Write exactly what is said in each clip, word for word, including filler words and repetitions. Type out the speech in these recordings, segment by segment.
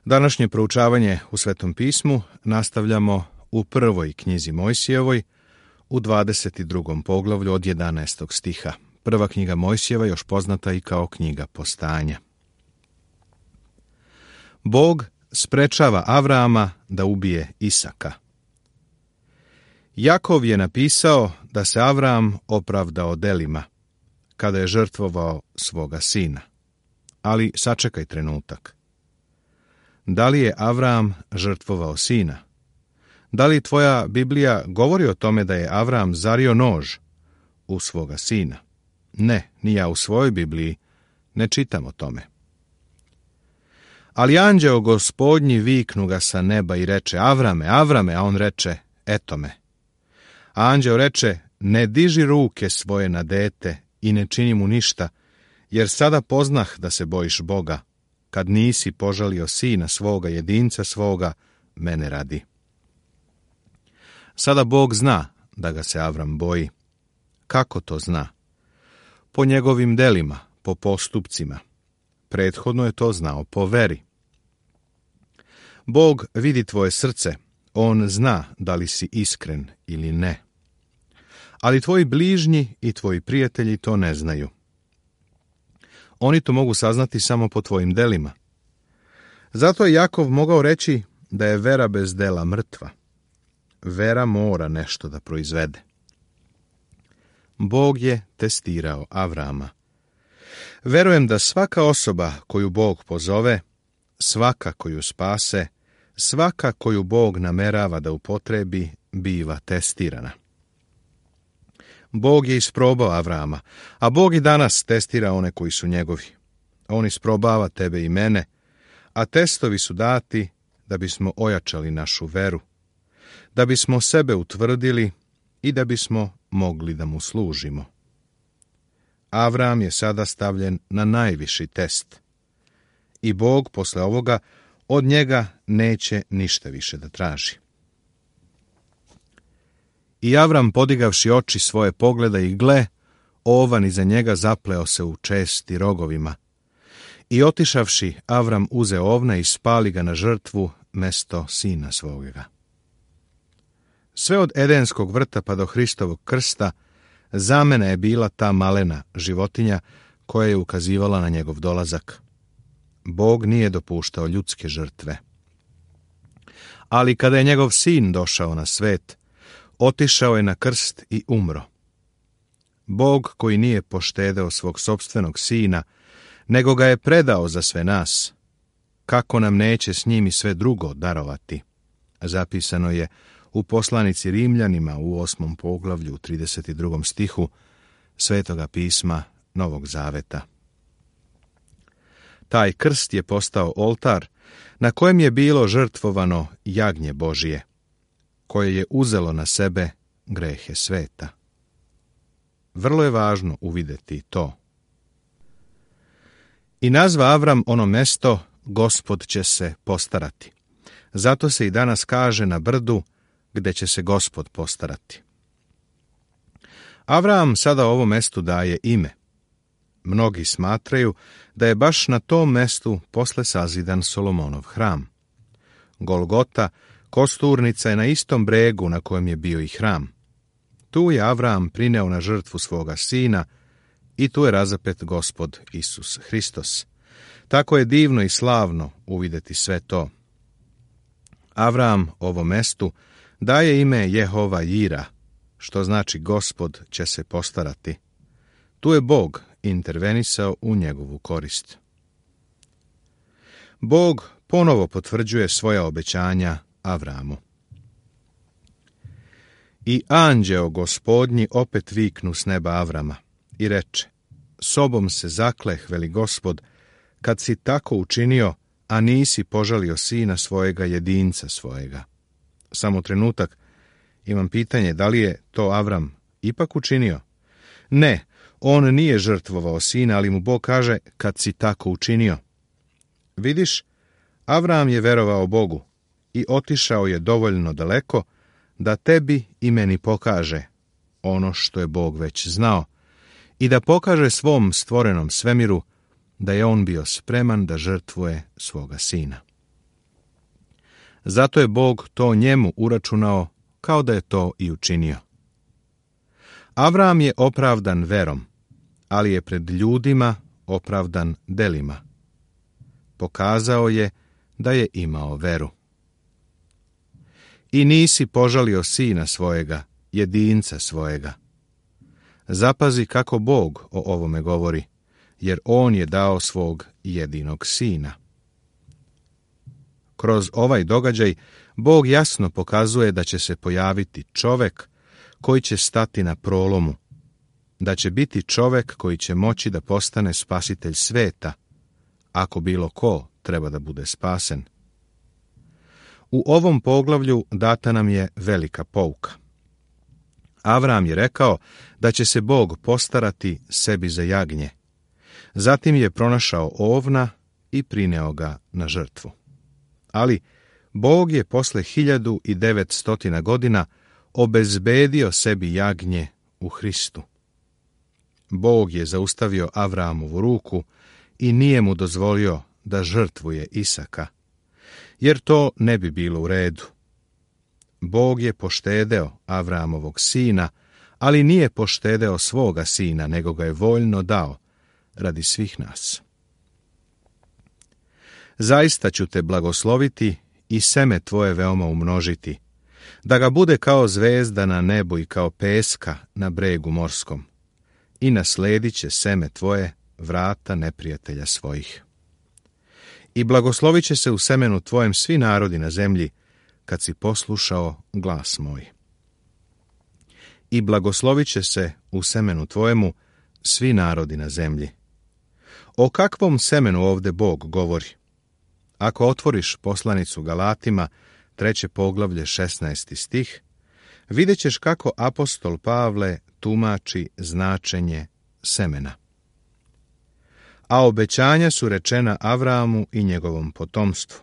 Današnje proučavanje u Svetom pismu nastavljamo u prvoj knjizi Mojsijevoj, u dvadeset drugom poglavlju od jedanaestog stiha. Prva knjiga Mojsijeva, još poznata i kao knjiga Postanja. Bog sprečava Avrama da ubije Isaka. Jakov je napisao da se Avram opravdao delima, kada je žrtvovao svoga sina. Ali sačekaj trenutak. Da li je Avram žrtvovao sina? Da li tvoja Biblija govori o tome da je Avram zario nož u svoga sina? Ne, ni ja u svojoj Bibliji ne čitam o tome. Ali anđeo Gospodnji viknu ga sa neba i reče: Avrame, Avrame, a on reče: eto me. A anđeo reče: ne diži ruke svoje na dete i ne čini mu ništa, jer sada poznah da se bojiš Boga, kad nisi požalio sina svoga, jedinca svoga, mene radi. Sada Bog zna da ga se Avram boji. Kako to zna? Po njegovim delima, po postupcima. Prethodno je to znao po veri. Bog vidi tvoje srce, on zna da li si iskren ili ne. Ali tvoji bližnji i tvoji prijatelji to ne znaju. Oni to mogu saznati samo po tvojim delima. Zato je Jakov mogao reći da je vera bez dela mrtva. Vera mora nešto da proizvede. Bog je testirao Avrama. Verujem da svaka osoba koju Bog pozove, svaka koju spase, svaka koju Bog namerava da upotrebi, biva testirana. Bog je isprobao Avrama, a Bog i danas testira one koji su njegovi. On isprobava tebe i mene, a testovi su dati da bismo ojačali našu veru, da bismo sebe utvrdili i da bismo mogli da mu služimo. Avram je sada stavljen na najviši test i Bog posle ovoga od njega neće ništa više da traži. I Avram, podigavši oči svoje, pogleda i gle, ovan iza njega zapleo se u česti rogovima. I otišavši, Avram uze ovna i spali ga na žrtvu mesto sina svoga. Sve od Edenskog vrta pa do Hristovog krsta zamena je bila ta malena životinja koja je ukazivala na njegov dolazak. Bog nije dopuštao ljudske žrtve. Ali kada je njegov sin došao na svet, otišao je na krst i umro. Bog koji nije poštedeo svog sopstvenog sina, nego ga je predao za sve nas, kako nam neće s njim i sve drugo darovati? Zapisano je u poslanici Rimljanima u osmom poglavlju u trideset drugom stihu Svetoga pisma Novog Zaveta. Taj krst je postao oltar na kojem je bilo žrtvovano jagnje Božije, koje je uzelo na sebe grehe sveta. Vrlo je važno uvideti to. I nazva Avram ono mesto: Gospod će se postarati. Zato se i danas kaže na brdu gde će se Gospod postarati. Avram sada ovo mestu daje ime. Mnogi smatraju da je baš na tom mestu posle sazidan Solomonov hram. Golgota, kosturnica, je na istom bregu na kojem je bio i hram. Tu je Avram prineo na žrtvu svoga sina i tu je razapet Gospod Isus Hristos. Tako je divno i slavno uvideti sve to. Avram ovom mestu daje ime Jehova Jira, što znači Gospod će se postarati. Tu je Bog intervenisao u njegovu korist. Bog ponovo potvrđuje svoja obećanja Avramu. I anđeo Gospodnji opet viknu s neba Avrama i reče: sobom se zakleh, veli Gospod, kad si tako učinio, a nisi požalio sina svojega, jedinca svojega. Samo trenutak, imam pitanje, da li je to Avram ipak učinio? Ne, on nije žrtvovao sina, ali mu Bog kaže: kad si tako učinio. Vidiš, Avram je verovao Bogu i otišao je dovoljno daleko da tebi i meni pokaže ono što je Bog već znao i da pokaže svom stvorenom svemiru da je on bio spreman da žrtvuje svoga sina. Zato je Bog to njemu uračunao kao da je to i učinio. Avram je opravdan verom, ali je pred ljudima opravdan delima. Pokazao je da je imao veru. I nisi požalio sina svojega, jedinca svojega. Zapazi kako Bog o ovome govori, jer on je dao svog jedinog sina. Kroz ovaj događaj Bog jasno pokazuje da će se pojaviti čovek koji će stati na prolomu, da će biti čovek koji će moći da postane spasitelj sveta, ako bilo ko treba da bude spasen. U ovom poglavlju data nam je velika pouka. Avram je rekao da će se Bog postarati sebi za jagnje. Zatim je pronašao ovna i prineo ga na žrtvu. Ali Bog je posle hiljadu i devetstotina godina obezbedio sebi jagnje u Hristu. Bog je zaustavio Avramovu ruku i nije mu dozvolio da žrtvuje Isaka, jer to ne bi bilo u redu. Bog je poštedeo Avramovog sina, ali nije poštedeo svoga sina, nego ga je voljno dao radi svih nas. Zaista ću te blagosloviti i seme tvoje veoma umnožiti, da ga bude kao zvezda na nebu i kao peska na bregu morskom, i nasledit će seme tvoje vrata neprijatelja svojih. I blagoslovit će se u semenu tvojem svi narodi na zemlji, kad si poslušao glas moj. I blagoslovit će se u semenu tvojemu svi narodi na zemlji. O kakvom semenu ovde Bog govori? Ako otvoriš poslanicu Galatima, treće poglavlje, šesnaesti stih, vidjet ćeš kako apostol Pavle tumači značenje semena. A obećanja su rečena Avramu i njegovom potomstvu.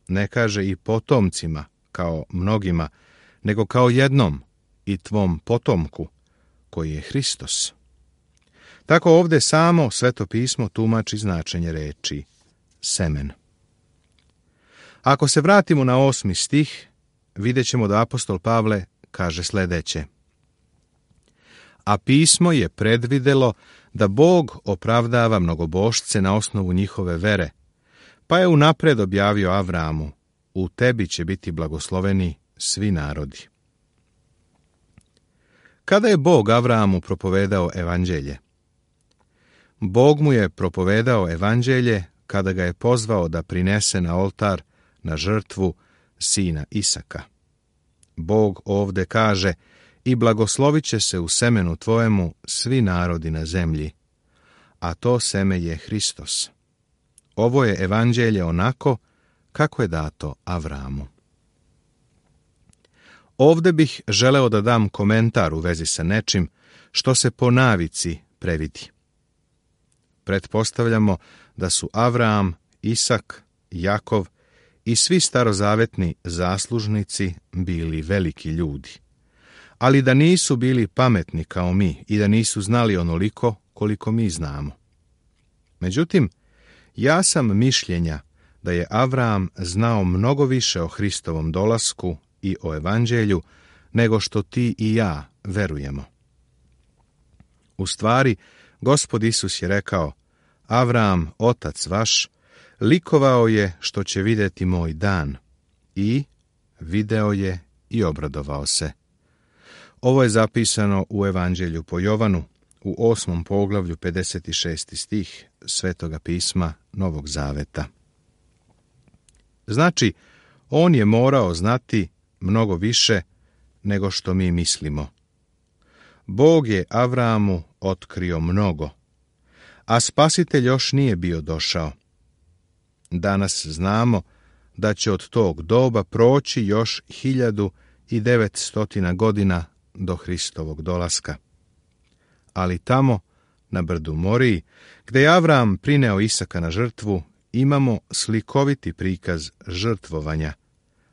Ne kaže i potomcima, kao mnogima, nego kao jednom i tvom potomku, koji je Hristos. Tako ovde samo Sveto pismo tumači značenje reči semen. Ako se vratimo na osmi stih, vidjet ćemo da apostol Pavle kaže sledeće. A pismo je predvidelo da Bog opravdava mnogobošce na osnovu njihove vere, pa je unapred objavio Avramu, u tebi će biti blagosloveni svi narodi. Kada je Bog Avramu propovedao evanđelje? Bog mu je propovedao evanđelje kada ga je pozvao da prinese na oltar, na žrtvu, sina Isaka. Bog ovde kaže, i blagoslovit će se u semenu tvojemu svi narodi na zemlji, a to seme je Hristos. Ovo je evanđelje onako kako je dato Avramu. Ovde bih želeo da dam komentar u vezi sa nečim što se po navici previdi. Pretpostavljamo da su Avram, Isak, Jakov i svi starozavetni zaslužnici bili veliki ljudi, ali da nisu bili pametni kao mi i da nisu znali onoliko koliko mi znamo. Međutim, ja sam mišljenja da je Avram znao mnogo više o Hristovom dolasku i o evanđelju nego što ti i ja verujemo. U stvari, Gospod Isus je rekao, Avram, otac vaš, likovao je što će vidjeti moj dan i video je i obradovao se. Ovo je zapisano u Evanđelju po Jovanu, u osmom poglavlju, pedeset šesti stih Svetoga pisma Novog Zaveta. Znači, on je morao znati mnogo više nego što mi mislimo. Bog je Avramu otkrio mnogo, a spasitelj još nije bio došao. Danas znamo da će od tog doba proći još hiljadu i devetstotina godina do Hristovog dolaska. Ali tamo, na brdu Moriji, gde je Avram prineo Isaka na žrtvu, imamo slikoviti prikaz žrtvovanja,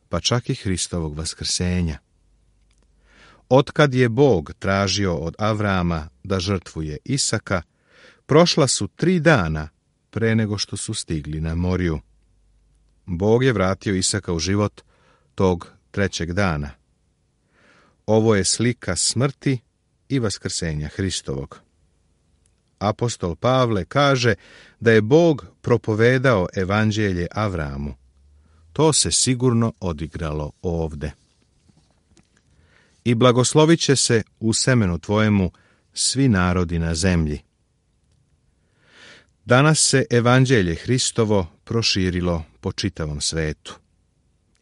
pa čak i Hristovog vaskrsenja. Otkad je Bog tražio od Avrama da žrtvuje Isaka, prošla su tri dana pre nego što su stigli na Moriju. Bog je vratio Isaka u život tog trećeg dana. Ovo je slika smrti i vaskrsenja Hristovog. Apostol Pavle kaže da je Bog propovedao evanđelje Avramu. To se sigurno odigralo ovde. I blagoslovit će se u semenu tvojemu svi narodi na zemlji. Danas se evanđelje Hristovo proširilo po čitavom svetu.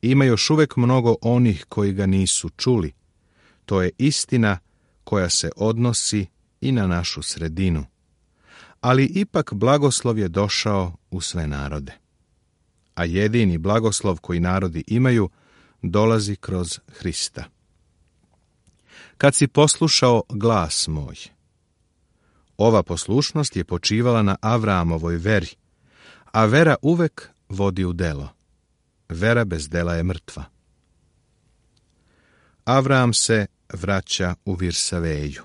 Ima još uvek mnogo onih koji ga nisu čuli. To je istina koja se odnosi i na našu sredinu. Ali ipak blagoslov je došao u sve narode. A jedini blagoslov koji narodi imaju dolazi kroz Hrista. Kad si poslušao glas moj. Ova poslušnost je počivala na Avramovoj veri, a vera uvek vodi u delo. Vera bez dela je mrtva. Avram se vraća u Virsaveju.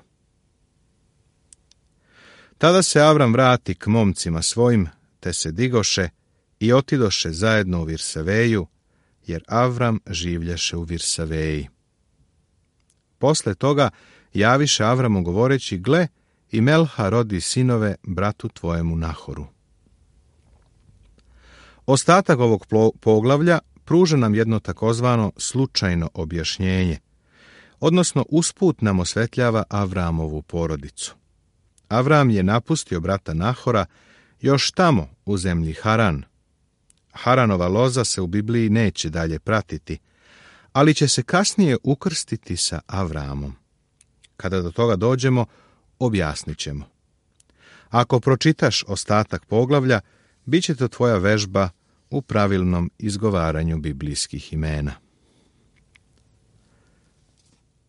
Tada se Avram vrati k momcima svojim, te se digoše i otidoše zajedno u Virsaveju, jer Avram življaše u Virsaveji. Posle toga javiše Avramu govoreći, gle, i Melha rodi sinove bratu tvojemu Nahoru. Ostatak ovog poglavlja pruža nam jedno takozvano slučajno objašnjenje, odnosno usput nam osvetljava Avramovu porodicu. Avram je napustio brata Nahora još tamo u zemlji Haran. Haranova loza se u Bibliji neće dalje pratiti, ali će se kasnije ukrstiti sa Avramom. Kada do toga dođemo, objasnit ćemo. Ako pročitaš ostatak poglavlja, bit će to tvoja vežba u pravilnom izgovaranju biblijskih imena.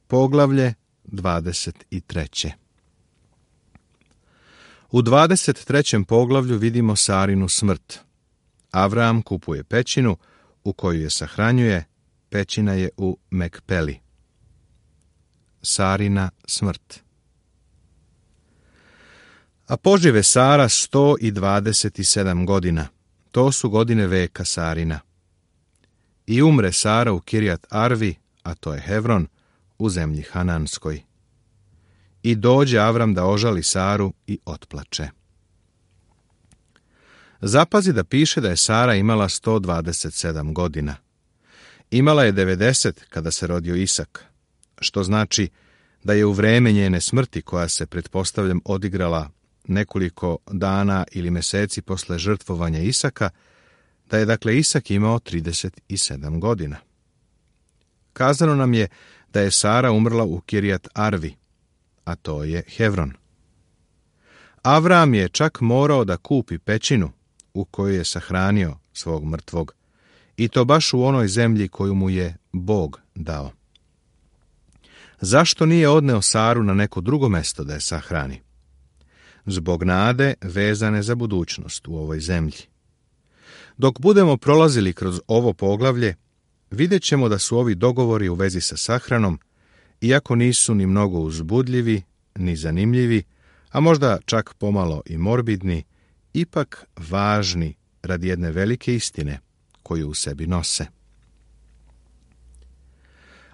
Poglavlje dvadeset treće. U dvadeset trećem poglavlju vidimo Sarinu smrt. Avram kupuje pećinu u koju je sahranjuje, pećina je u Mekpeli. Sarina smrt. A požive Sara sto dvadeset sedam godina. To su godine veka Sarina. I umre Sara u Kirjat Arvi, a to je Hevron, u zemlji Hananskoj. I dođe Avram da ožali Saru i otplače. Zapazi da piše da je Sara imala sto dvadeset sedam godina. Imala je devedeset kada se rodio Isak, što znači da je u vreme njene smrti, koja se pretpostavljam odigrala nekoliko dana ili meseci posle žrtvovanja Isaka, da je dakle Isak imao trideset sedam godina. Kazano nam je da je Sara umrla u Kirjat Arvi, a to je Hevron. Avram je čak morao da kupi pećinu u kojoj je sahranio svog mrtvog, i to baš u onoj zemlji koju mu je Bog dao. Zašto nije odneo Saru na neko drugo mesto da je sahrani? Zbog nade vezane za budućnost u ovoj zemlji. Dok budemo prolazili kroz ovo poglavlje, vidjet ćemo da su ovi dogovori u vezi sa sahranom, iako nisu ni mnogo uzbudljivi, ni zanimljivi, a možda čak pomalo i morbidni, ipak važni radi jedne velike istine koju u sebi nose.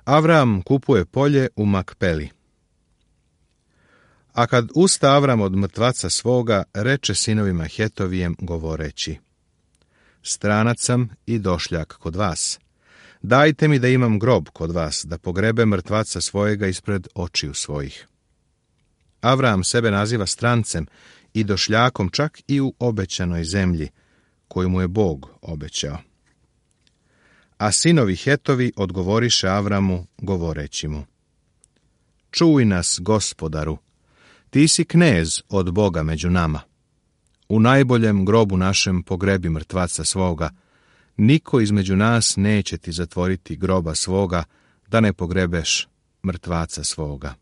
Avram kupuje polje u Makpeli. A kad usta Avram od mrtvaca svoga, reče sinovima Hetovijem govoreći, stranac sam i došljak kod vas. Dajte mi da imam grob kod vas, da pogrebe mrtvaca svojega ispred očiju svojih. Avram sebe naziva strancem i došljakom čak i u obećanoj zemlji, koju mu je Bog obećao. A sinovi Hetovi odgovoriše Avramu, govoreći mu, čuj nas, gospodaru, ti si knez od Boga među nama. U najboljem grobu našem pogrebi mrtvaca svoga, niko između nas neće ti zatvoriti groba svoga, da ne pogrebeš mrtvaca svoga.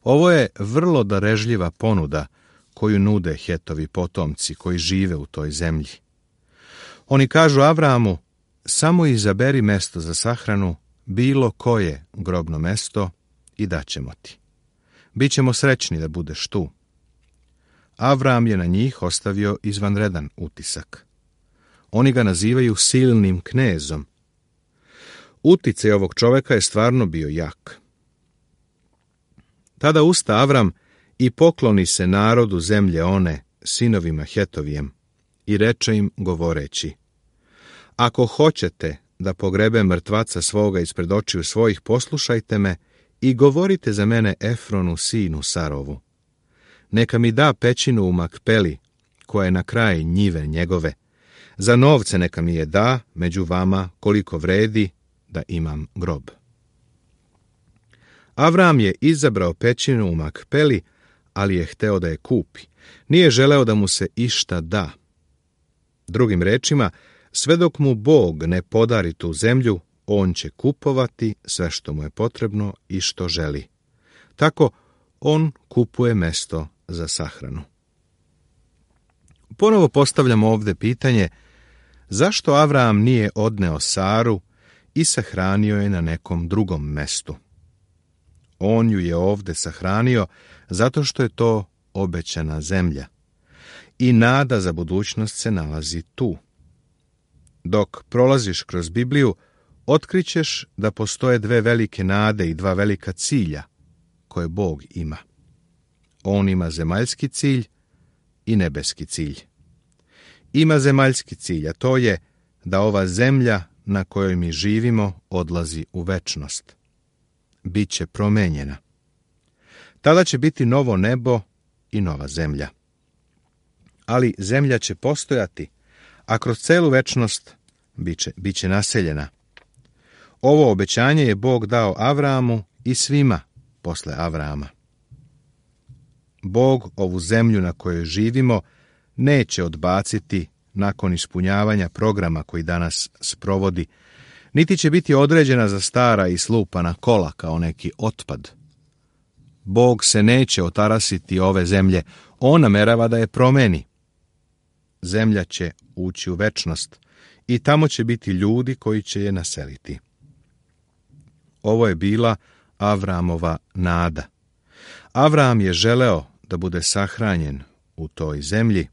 Ovo je vrlo darežljiva ponuda koju nude Hetovi potomci koji žive u toj zemlji. Oni kažu Avramu, samo izaberi mesto za sahranu, bilo koje grobno mesto, i daćemo ti. Bićemo srećni da budeš tu. Avram je na njih ostavio izvanredan utisak. Oni ga nazivaju silnim knezom. Uticaj ovog čoveka je stvarno bio jak. Tada usta Avram i pokloni se narodu zemlje one, sinovima Hetovijem, i reče im govoreći: Ako hoćete da pogrebem mrtvaca svoga ispred očiju svojih, poslušajte me i govorite za mene Efronu, sinu Sarovu. Neka mi da pećinu u Makpeli, koja je na kraju njive njegove. Za novce neka mi je da među vama koliko vredi, da imam grob. Avram je izabrao pećinu u Makpeli, ali je hteo da je kupi. Nije želeo da mu se išta da. Drugim rečima, sve dok mu Bog ne podari tu zemlju, on će kupovati sve što mu je potrebno i što želi. Tako on kupuje mesto za sahranu. Ponovo postavljamo ovdje pitanje, zašto Avram nije odneo Saru i sahranio je na nekom drugom mestu? On ju je ovdje sahranio zato što je to obećana zemlja. I nada za budućnost se nalazi tu. Dok prolaziš kroz Bibliju, otkrićeš da postoje dve velike nade i dva velika cilja koje Bog ima. On ima zemaljski cilj i nebeski cilj. Ima zemaljski cilj, a to je da ova zemlja na kojoj mi živimo odlazi u večnost. Biće promenjena. Tada će biti novo nebo i nova zemlja. Ali zemlja će postojati, a kroz celu večnost biće, biće naseljena. Ovo obećanje je Bog dao Avramu i svima posle Avrama. Bog ovu zemlju na kojoj živimo neće odbaciti nakon ispunjavanja programa koji danas sprovodi, niti će biti određena za stara i slupana kola kao neki otpad. Bog se neće otarasiti ove zemlje, on namerava da je promeni. Zemlja će ući u večnost i tamo će biti ljudi koji će je naseliti. Ovo je bila Avramova nada. Avram je želeo da bude sahranjen u toj zemlji,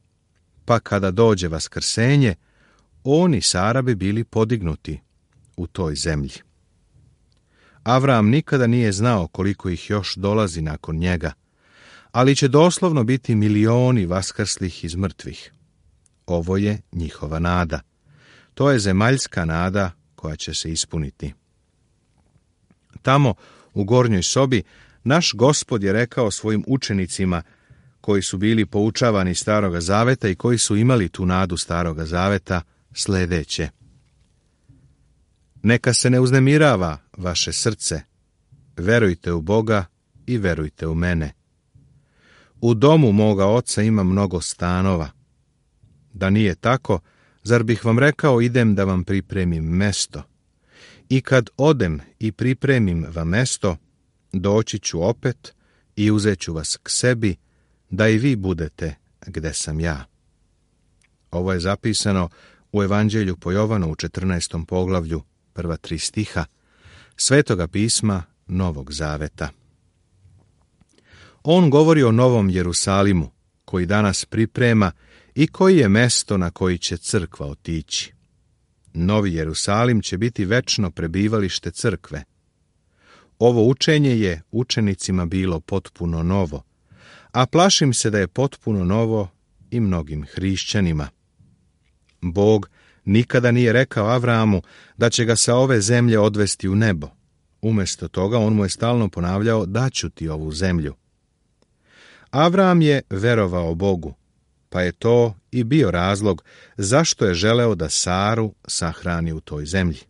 pa kada dođe vaskrsenje, on i Sara bi bili podignuti u toj zemlji. Avram nikada nije znao koliko ih još dolazi nakon njega, ali će doslovno biti milioni vaskrslih iz mrtvih. Ovo je njihova nada. To je zemaljska nada koja će se ispuniti. Tamo, u gornjoj sobi, naš Gospod je rekao svojim učenicima, koji su bili poučavani Staroga zaveta i koji su imali tu nadu Staroga zaveta, sljedeće: Neka se ne uznemirava vaše srce, verujte u Boga i verujte u mene. U domu moga oca ima mnogo stanova. Da nije tako, zar bih vam rekao idem da vam pripremim mesto? I kad odem i pripremim vam mesto, doći ću opet i uzet ću vas k sebi, da i vi budete gde sam ja. Ovo je zapisano u Evanđelju po Jovanu u četrnaestom poglavlju, prva tri stiha, Svetoga pisma Novog Zaveta. On govori o Novom Jerusalimu, koji danas priprema i koji je mesto na koji će crkva otići. Novi Jerusalim će biti večno prebivalište crkve. Ovo učenje je učenicima bilo potpuno novo, a plašim se da je potpuno novo i mnogim hrišćanima. Bog nikada nije rekao Avramu da će ga sa ove zemlje odvesti u nebo. Umjesto toga on mu je stalno ponavljao da ću ti ovu zemlju. Avram je verovao Bogu, pa je to i bio razlog zašto je želeo da Saru sahrani u toj zemlji.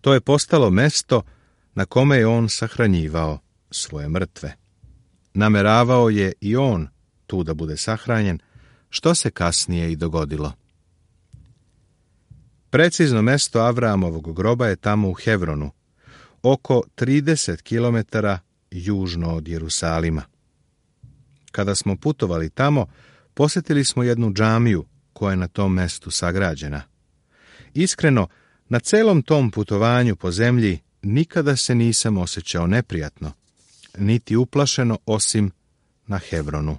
To je postalo mesto na kome je on sahranjivao svoje mrtve. Nameravao je i on tu da bude sahranjen, što se kasnije i dogodilo. Precizno mesto Avramovog groba je tamo u Hevronu, oko trideset kilometara južno od Jerusalima. Kada smo putovali tamo, posjetili smo jednu džamiju koja je na tom mestu sagrađena. Iskreno, na celom tom putovanju po zemlji nikada se nisam osjećao neprijatno, niti uplašeno osim na Hevronu.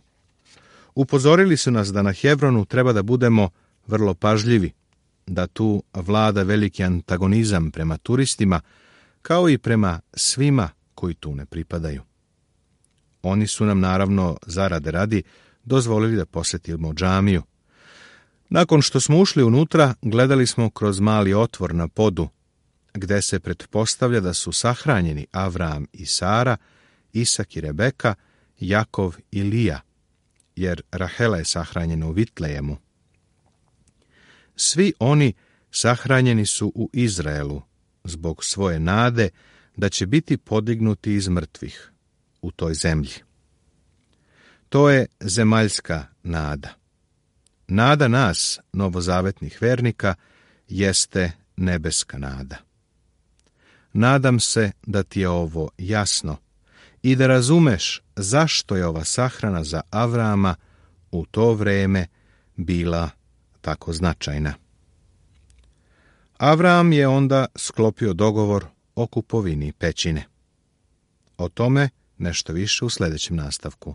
Upozorili su nas da na Hevronu treba da budemo vrlo pažljivi, da tu vlada veliki antagonizam prema turistima, kao i prema svima koji tu ne pripadaju. Oni su nam naravno zarade radi dozvolili da posjetimo džamiju. Nakon što smo ušli unutra, gledali smo kroz mali otvor na podu, gde se pretpostavlja da su sahranjeni Avram i Sara, Isak i Rebeka, Jakov i Lija, jer Rahela je sahranjena u Vitlejemu. Svi oni sahranjeni su u Izraelu zbog svoje nade da će biti podignuti iz mrtvih u toj zemlji. To je zemaljska nada. Nada nas, novozavetnih vernika, jeste nebeska nada. Nadam se da ti je ovo jasno i da razumeš zašto je ova sahrana za Avrama u to vreme bila tako značajna. Avram je onda sklopio dogovor o kupovini pećine. O tome nešto više u sljedećem nastavku.